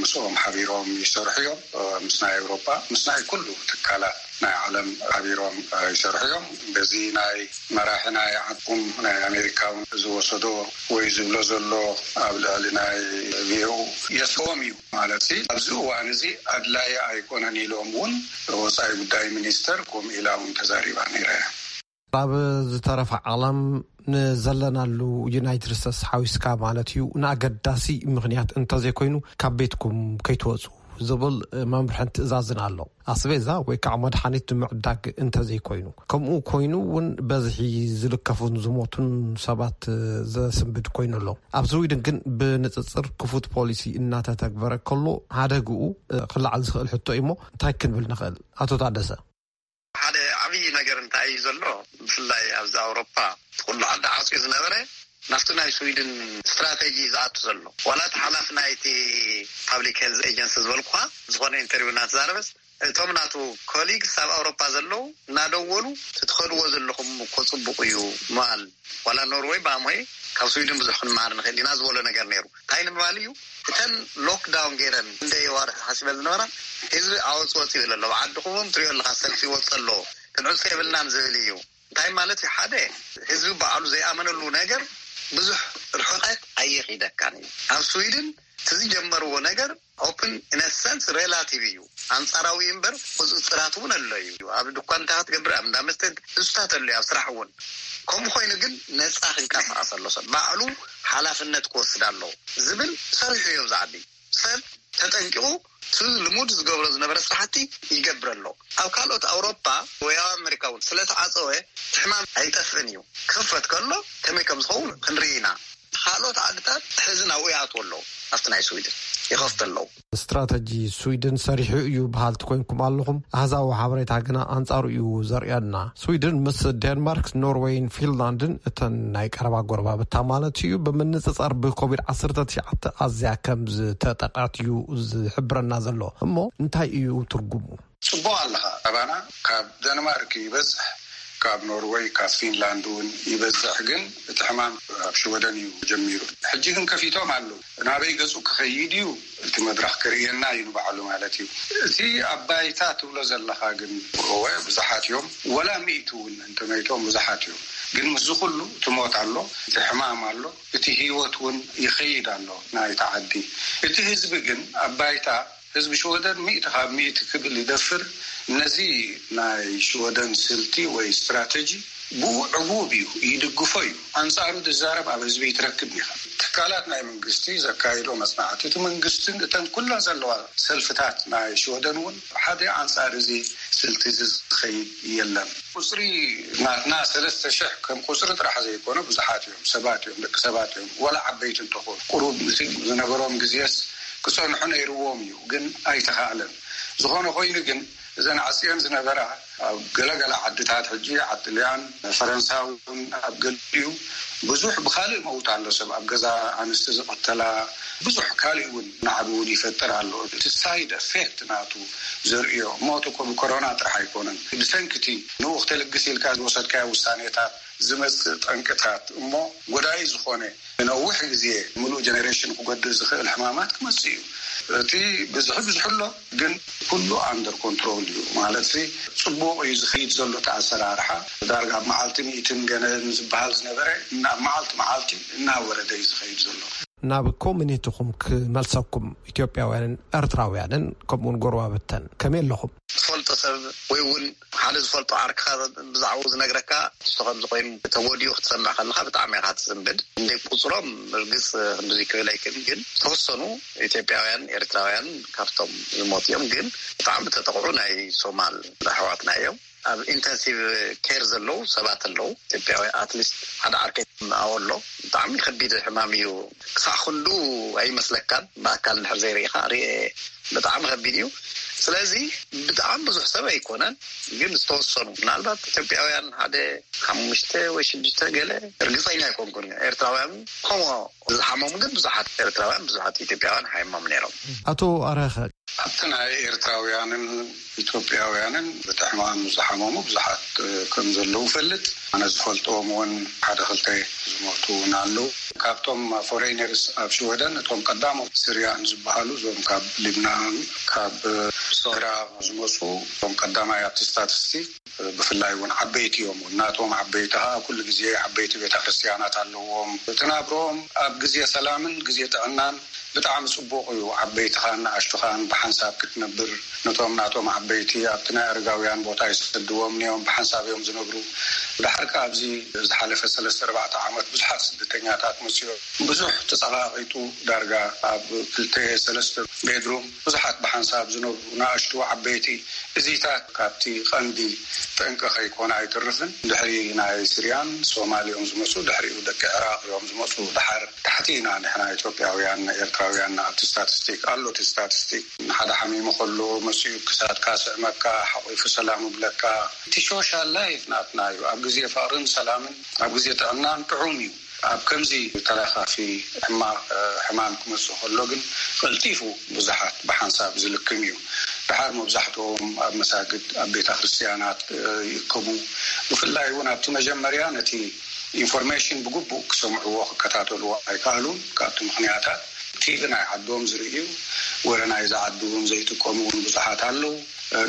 ምስኦም ሓቢሮም ይሰርሑ እዮም። ምስ ናይ ኤውሮጳ፣ ምስ ናይ ኩሉ ትካላት ናይ ዓለም ሓቢሮም ይሰርሑ እዮም። በዚ ናይ መራሒ ናይ ዓድኩም ናይ ኣሜሪካ እውን ዝወሰዶ ወይ ዝብሎ ዘሎ ኣብ ልዕሊ ናይ ቪኦኡ የስኦም እዩ ማለት ሲ ኣብዚ እዋን እዚ ኣድላይ ኣይኮነን ኢሎም እውን ወፃኢ ጉዳይ ሚኒስተር ከምኡ ኢላ እውን ተዛሪባ ነይራ እያ። ኣብ ዝተረፈ ዓለም ንዘለናሉ ዩናይትድ ስቴትስ ሓዊስካ ማለት እዩ፣ ንኣገዳሲ ምኽንያት እንተዘይኮይኑ ካብ ቤትኩም ከይትወፁ ዝብል መምርሕን ትእዛዝን ኣሎ። ኣስቤዛ ወይ ከዓ መድሓኒት ንምዕዳግ እንተዘይኮይኑ፣ ከምኡ ኮይኑ እውን በዝሒ ዝልከፉን ዝሞቱን ሰባት ዘስንብድ ኮይኑ ኣሎ። ኣብ ስዊድን ግን ብንፅፅር ክፉት ፖሊሲ እናተተግበረ ከሎ ሓደግኡ ክለዓል ዝኽእል ሕቶ እዩ። እሞ እንታይ ክንብል ንኽእል? ኣቶ ታደሰ። ሓደ ዓብዪ ነገር እንታይ እዩ ዘሎ? ብፍላይ ኣብዚ ኣውሮፓ ኩሉ ዓዲ ዓፅዩ ዝነበረ ናብቲ ናይ ስዊድን ስትራቴጂ ዝኣቱ ዘሎ። ዋላ እቲ ሓላፊ ናይቲ ፓብሊክ ሄልዝ ኤጀንሲ ዝበልኩኻ ዝኾነ ኢንተርቪው እናተዛረበስ፣ እቶም ናቱ ኮሊግስ ኣብ ኣውሮፓ ዘለዉ እናደወሉ፣ "ትትኸድዎ ዘለኹም እኮ ጽቡቕ እዩ" ምባል። ዋላ ኖርወይ ብኣምሆይ ካብ ስዊድን ብዙሕ ክንመሃር ንኽእል ኢና ዝበሎ ነገር ነይሩ። እንታይ ንምባል እዩ? እተን ሎክዳውን ገይረን እንደ የዋርሕ ሓሲበን ዝነበራ ህዝቢ ኣወጽ ወጽ ይብል ኣሎ። ብዓድኹም እውን ትሪኦ ኣለኻ፣ ሰልፊ ይወጽ ኣሎ። ክንዕጾ የብልናን ዝብል እዩ። እንታይ ማለት እዩ? ሓደ ህዝቢ ባዕሉ ዘይኣመነሉ ነገር ብዙሕ ርሕቀት ኣየኺደካን እዩ። ኣብ ስዊድን እቲ ዝጀመርዎ ነገር ኦፕን ኢን ሰንስ ሬላቲቭ እዩ፣ ኣንጻራዊ እምበር ቁጽጽራት እውን ኣሎ እዩ። ኣብ ድኳን እንታይ ክትገብር፣ ኣብ እንዳ መስተ፣ እሱታት ኣሎ እዩ፣ ኣብ ስራሕ እውን። ከምኡ ኮይኑ ግን ነጻ ክንቀሳቐስ ኣሎ፣ ሰብ ባዕሉ ሓላፍነት ክወስድ ኣለዎ ዝብል ሰሪሑ እዩ ኣብዚ ዓዲ። ሰብ ተጠንቂቑ እቲ ልሙድ ዝገብሮ ዝነበረ ስራሕቲ ይገብር ኣሎ። ኣብ ካልኦት ኣውሮፓ ወይ ኣብ ኣሜሪካ እውን ስለተዓፀወ እቲ ሕማም ኣይጠፍእን እዩ። ክኽፈት ከሎ ከመይ ከም ዝኸውን ክንርኢ ኢና። ካልኦት ዓድታት ሕዚ ናብኡ ይኣትዉ ኣለዉ፣ ኣብቲ ናይ ስዊድን። ይኸፍቱ ኣለዉ። ስትራተጂ ስዊድን ሰሪሑ እዩ በሃልቲ ኮይንኩም ኣለኹም። ኣሃዛዊ ሓበሬታ ግና ኣንጻሩ እዩ ዘርእየና። ስዊድን ምስ ዴንማርክ፣ ኖርዌይን ፊንላንድን እተን ናይ ቀረባ ጎረባብታ ማለት እዩ፣ ብምንጽጻር ብኮቪድ ዓሰርተ ትሽዓተ ኣዝያ ከም ዝተጠቕዐት እዩ ዝሕብረና ዘሎ። እሞ እንታይ እዩ ትርጉሙ? ጽቡቕ ኣለኻ። ኣባና ካብ ደንማርክ ይበዝሕ፣ ካብ ኖርወይ፣ ካብ ፊንላንድ እውን ይበዝሕ። ግን እቲ ሕማም ኣብ ሽወደን እዩ ጀሚሩ። ሕጂ ግን ከፊቶም ኣለዉ። ናበይ ገጹ ክኸይድ እዩ እቲ መድረኽ ክርእየና እዩ ንባዕሉ ማለት እዩ። እቲ ኣብ ባይታ ትብሎ ዘለኻ ግን እወ ብዙሓት እዮም። ወላ ሚእቲ እውን እንተመይቶም ብዙሓት እዮም። ግን ምስዚ ኩሉ እቲ ሞት ኣሎ፣ እቲ ሕማም ኣሎ፣ እቲ ህይወት እውን ይኸይድ ኣሎ ናይቲ ዓዲ። እቲ ህዝቢ ግን ኣብ ባይታ ህዝቢ ሽወደን ሚእቲ ካብ ሚእቲ ክብል ይደፍር። ነዚ ናይ ሽወደን ስልቲ ወይ ስትራተጂ ብኡ ዕጉብ እዩ፣ ይድግፎ እዩ። ኣንጻሩ ዝዛረብ ኣብ ህዝቢ ይትረክብ ኢኻ። ትካላት ናይ መንግስቲ ዘካይዶ መጽናዕቲ፣ እቲ መንግስትን እተን ኩለን ዘለዋ ሰልፍታት ናይ ሽወደን እውን ሓደ ኣንጻር እዚ ስልቲ እዚ ዝኸይድ የለን። ቁጽሪ ናትና ሰለስተ ሽሕ ከም ቁጽሪ ጥራሕ ዘይኮነ ብዙሓት እዮም፣ ሰባት እዮም፣ ደቂ ሰባት እዮም። ወላ ዓበይቲ እንተኾኑ ቁሩብ ምስል ዝነበሮም ግዜስ ክጸንሑ ነይርዎም እዩ፣ ግን ኣይተኻእለን። ዝኾነ ኮይኑ ግን እዘን ዓጽየን ዝነበራ ኣብ ገለገለ ዓድታት ሕጂ ዓጥልያን ፈረንሳ እውን ኣብ ገሊኡ ብዙሕ ብኻልእ መውት ኣሎ፣ ሰብ ኣብ ገዛ ኣንስቲ ዝቐተላ ብዙሕ ካልእ እውን ናዕቢ እውን ይፈጥር ኣሎ። እቲ ሳይድ ኤፌክት ናቱ ዘርእዮ ሞት እኮ ብኮሮና ጥራሕ ኣይኮነን። ብሰንኪ እቲ ንኡ ክተልግስ ኢልካ ዝወሰድካዮ ውሳኔታት ዝመጽእ ጠንቅታት እሞ ጎዳኢ ዝኾነ ንነዊሕ ግዜ ምሉእ ጀነሬሽን ክጎድእ ዝኽእል ሕማማት ክመጽእ እዩ። እቲ ብዝሒ ብዙሕ ኣሎ፣ ግን ኩሉ ኣንደር ኮንትሮል እዩ። ማለት ጽቡቕ እዩ ዝኸይድ ዘሎ እቲ ኣሰራርሓ። ዳርጋ ኣብ መዓልቲ ሚእትን ገለን ዝበሃል ዝነበረ ናብ መዓልቲ መዓልቲ እናወረደ እዩ ዝኸይድ ዘሎ። ናብ ኮሚኒቲኹም ክመልሰኩም፣ ኢትዮጵያውያንን ኤርትራውያንን ከምኡውን ጎረባብተን ከመይ ኣለኹም? ትፈልጦ ሰብ ወይ እውን ሓደ ዝፈልጦ ዓርክኻ ብዛዕባኡ ዝነግረካ ንሱ ከምዚ ኮይኑ ተጎዲኡ ክትሰምዕ ከለኻ ብጣዕሚ ኢኻ ትስንብድ። እንደ ቁፅሮም ርግፅ ክንድዚ ክብል ኣይክእልን፣ ግን ዝተወሰኑ ኢትዮጵያውያን ኤርትራውያን ካብቶም ዝሞት እዮም። ግን ብጣዕሚ ተጠቕዑ ናይ ሶማል ኣሕዋትና እዮም። ኣብ ኢንተንሲቭ ኬር ዘለዉ ሰባት ኣለዉ ኢትዮጵያውያን። ኣትሊስት ሓደ ዓርከይ ኣዎ ኣሎ። ብጣዕሚ ከቢድ ሕማም እዩ። ክሳዕ ክንዱ ኣይመስለካን ብኣካል እንድሕር ዘይርኢኻ። ርኤ ብጣዕሚ ከቢድ እዩ። ስለዚ ብጣዕሚ ብዙሕ ሰብ ኣይኮነን፣ ግን ዝተወሰኑ ምናልባት ኢትዮጵያውያን ሓደ ሓሙሽተ ወይ ሽዱሽተ ገለ ርግፀኛ ኣይኮንኩን። ኤርትራውያን ከምኡ ዝሓመሙ ግን ብዙሓት ኤርትራውያን ብዙሓት ኢትዮጵያውያን ሓይሞም ነይሮም። ኣቶ ኣረኸ ኣብቲ ናይ ኤርትራውያንን ኢትዮጵያውያንን ብቲ ሕማም ዝሓመሙ ብዙሓት ከም ዘለዉ ፈልጥ። ኣነ ዝፈልጦም እውን ሓደ ክልተ ዝሞቱ እውን ኣለዉ። ካብቶም ፎሬነርስ ኣብ ሽወደን እቶም ቀዳሞት ስርያን ዝበሃሉ እዞም ካብ ሊብናን ካብ ሶራ ዝመፁ እቶም ቀዳማይ ኣብቲ ስታቲስቲክ ብፍላይ እውን ዓበይቲ እዮም። ናቶም ዓበይቲ ከዓ ኩሉ ግዜ ዓበይቲ ቤተክርስትያናት ኣለዎም። እቲ ናብሮኦም ኣብ ግዜ ሰላምን ግዜ ጥዕናን ብጣዕሚ ጽቡቕ እዩ። ዓበይትኻን ንኣሽቱኻን ብሓንሳብ ክትነብር፣ ነቶም ናቶም ዓበይቲ ኣብቲ ናይ ኣረጋውያን ቦታ ይሰድዎም ነዮም፣ ብሓንሳብ እዮም ዝነብሩ። ድሓር ከኣ ኣብዚ ዝሓለፈ ሰለስተ ኣርባዕተ ዓመት ብዙሓት ስደተኛታት መጽዮም። ብዙሕ ተጸቓቒጡ ዳርጋ ኣብ ክልተ ሰለስተ ቤድሩም ብዙሓት ብሓንሳብ ዝነብሩ ንኣሽቱ ዓበይቲ እዚታት ካብቲ ቀንዲ ጠንቂ ከይኮነ ኣይተርፍን። ድሕሪ ናይ ስርያን ሶማል እዮም ዝመፁ፣ ድሕሪኡ ደቂ ዕራቅ እዮም ዝመፁ። ድሓር ታሕቲ ኢና ንሕና ኢትዮጵያውያን ኤርትራውያን ኣብቲ ስታቲስቲክ ኣሎ። እቲ ስታቲስቲክ ንሓደ ሓሚሙ ከሎ መፂኡ ክሳድካ ስዕመካ ሓቂፉ ሰላም ይብለካ። እቲ ሶሻል ላይፍ ናትና እዩ። ኣብ ግዜ ፍቅርን ሰላምን ኣብ ግዜ ጥዕናን ጥዑም እዩ። ኣብ ከምዚ ተላኻፊ ሕማቕ ሕማም ክመፅእ ከሎ ግን ቀልጢፉ ብዙሓት ብሓንሳብ ዝልክም እዩ። ድሓር መብዛሕትኦም ኣብ መሳግድ ኣብ ቤተ ክርስትያናት ይእከቡ። ብፍላይ እውን ኣብቲ መጀመርያ ነቲ ኢንፎርሜሽን ብግቡእ ክሰምዕዎ ክከታተልዎ ኣይከኣሉን። ካብቲ ምኽንያታት ቲቪ ናይ ዓዶም ዝርእዩ ወረ ናይዚ ዓዲ እውን ዘይጥቀሙ እውን ብዙሓት ኣለዉ።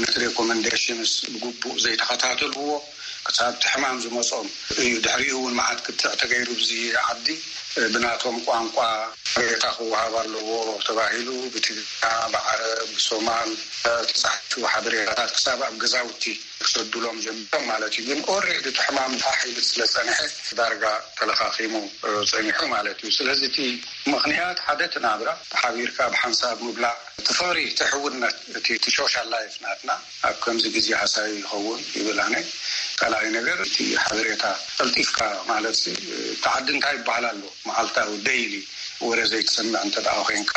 ነቲ ሬኮመንዴሽንስ ብግቡእ ዘይተኸታተልዎ ክሳብ እቲ ሕማም ዝመጾም እዩ። ድሕሪኡ እውን መዓት ክትዕ ተገይሩ ብዚ ዓዲ ብናቶም ቋንቋ ሬታ ክወሃብ ኣለዎ ተባሂሉ ብትግርኛ ብዓረብ ብሶማል ተጻሒፉ ሓበሬታታት ክሳብ ኣብ ገዛውቲ ክሰዱሎም ጀሚሮም ማለት እዩ። ግን ኦሬዲ እቲ ሕማም ፋሕ ኢሉ ስለ ጸንሐ ዳርጋ ተለኻኺሙ ጸኒሑ ማለት እዩ። ስለዚ እቲ ምኽንያት ሓደ እቲ ናብራ ተሓቢርካ ብሓንሳብ ምብላዕ እቲ ፍቕሪ እቲ ሕውነት እቲ ሶሻል ላይፍ ናትና ኣብ ከምዚ ግዜ ሃሳዩ ይኸውን ይብል። ኣነ ካልኣይ ነገር እቲ ሓበሬታ ቀልጢፍካ ማለት እቲ ዓዲ እንታይ ይበሃል ኣሎ መዓልታዊ ደይሊ ወረ ዘይትሰምዕ እንተ ደኣ ኮይንካ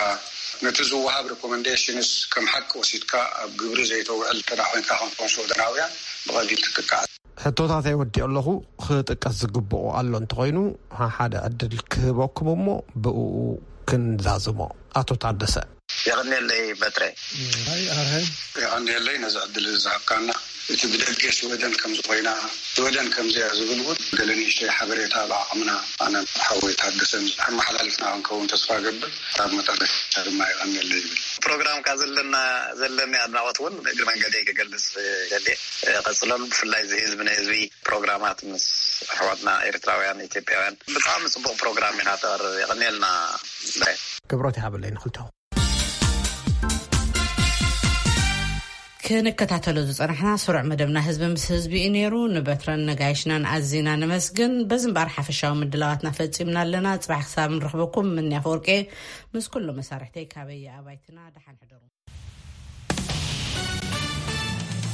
ነቲ ዝወሃብ ሪኮመንዴሽንስ ከም ሓቂ ወሲድካ ኣብ ግብሪ ዘይተውዕል እንተ ደኣ ኮይንካ፣ ከም ኮንሶ ደናውያን ብቐሊል ትጥቃዕ። ሕቶታተይ ወዲኦ ኣለኹ። ክጥቀስ ዝግብኦ ኣሎ እንተኾይኑ፣ ሓደ ዕድል ክህበኩም እሞ ብእኡ ክንዛዝሞ። ኣቶ ታደሰ። የቐንየለይ በትረ። ኣይ ኣርሀ። የቐንየለይ ነዚ ዕድል ዝሃብካና። እቲ ብደገ ሽወደን ከም ዝኾይና፣ ሽወደን ከምዚኣ ዝብል እውን ገለ ንእሽተይ ሓበሬታ ብዓቕምና ኣነ ሓወይ ታደሰን ኣመሓላሊፍና ክንከውን ተስፋ እገብር። ኣብ መጠረሻ ድማ የቐንየለይ ይብል። ፕሮግራምካ ዘለና፣ ዘለኒ ኣድናቖት እውን እግሪ መንገደይ ክገልጽ ደልየ። ቀጽለሉ። ብፍላይ እዚ ህዝቢ ንህዝቢ ፕሮግራማት ምስ ኣሕዋትና ኤርትራውያን፣ ኢትዮጵያውያን ብጣዕሚ ጽቡቕ ፕሮግራም ኢኻ ተቕርብ። የቐንየልና። ክብሮት ይሃበለይ ንኽልተኹም። ክንከታተሎ ዝጸናሕና ስሩዕ መደብና ህዝቢ ምስ ህዝቢ እዩ ነይሩ። ንበትረን ነጋይሽናን ኣዚና ነመስግን። በዚ እምበኣር ሓፈሻዊ ምድላዋትና ፈጺምና ኣለና። ጽባሕ ክሳብ ንረኽበኩም፣ ምንያ ፈወርቄ ምስ ኩሉ መሳርሕተይ ካበየ ኣባይትና ደሓን ሕደሩ።